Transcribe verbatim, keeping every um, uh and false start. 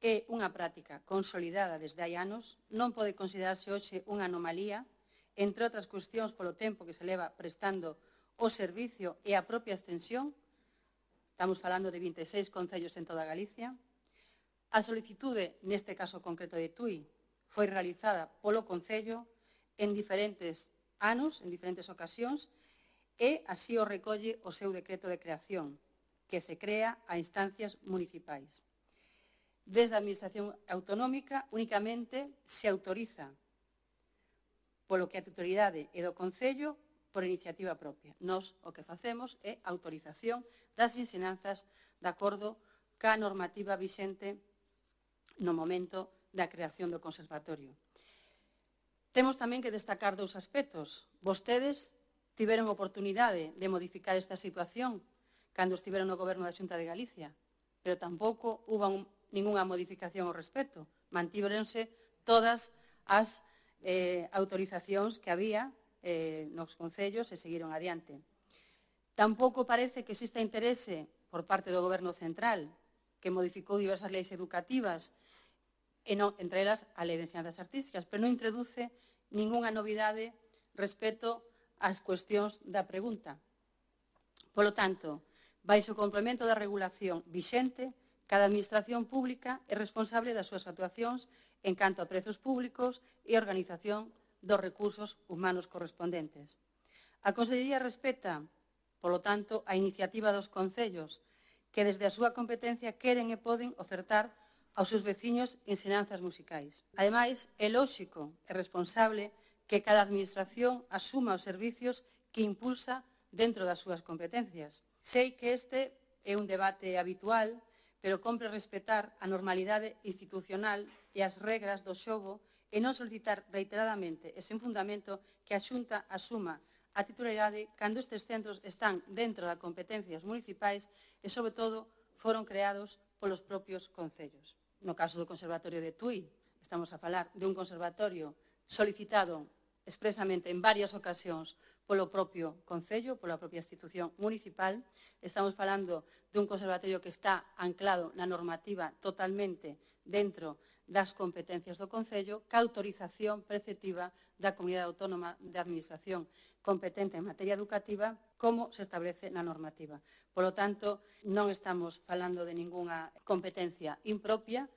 é unha práctica consolidada desde hai anos, non pode considerarse hoxe unha anomalía, entre outras cuestións polo tempo que se leva prestando o servicio e a propia extensión. Estamos falando de vinte e seis concellos en toda Galicia. A solicitude, neste caso concreto de Tui, foi realizada polo Concello en diferentes anos, en diferentes ocasións, e así o recolle o seu decreto de creación, que se crea a instancias municipais. Desde a Administración Autonómica únicamente se autoriza polo que a titularidade é do Concello por iniciativa propia. Nós o que facemos é autorización das ensinanzas de acordo ca normativa vixente no momento da creación do conservatorio. Temos tamén que destacar dous aspectos. Vostedes tiveron oportunidade de modificar esta situación cando estiveron no Goberno da Xunta de Galicia, pero tampouco hubo ningunha modificación ao respecto. Mantíveronse todas as eh, autorizacións que había eh, nos concellos e seguiron adiante. Tampouco parece que exista interese por parte do Goberno central, que modificou diversas leis educativas, e non, entre elas a Lei de Ensinanzas Artísticas, pero non introduce ningunha novidade respecto ás cuestións da pregunta. Polo tanto, baixo o complemento da regulación vixente, cada administración pública é responsable das súas actuacións en canto a prezos públicos e organización dos recursos humanos correspondentes. A Consellería respecta, polo tanto, a iniciativa dos concellos que desde a súa competencia queren e poden ofertar aos seus veciños ensinanzas musicais. Ademais, é lóxico e responsable que cada administración asuma os servicios que impulsa dentro das súas competencias. Sei que este é un debate habitual, pero compre respetar a normalidade institucional e as regras do xogo e non solicitar reiteradamente e sen fundamento que a Xunta asuma a titularidade cando estes centros están dentro das competencias municipais e, sobre todo, foron creados polos propios concellos. No caso do Conservatorio de Tui, estamos a falar de un conservatorio solicitado expresamente en varias ocasións polo propio Concello, pola propia institución municipal. Estamos falando dun conservatorio que está anclado na normativa totalmente dentro das competencias do Concello, ca autorización preceptiva da Comunidade Autónoma de Administración competente en materia educativa, como se establece na normativa. Polo tanto, non estamos falando de ningunha competencia impropia,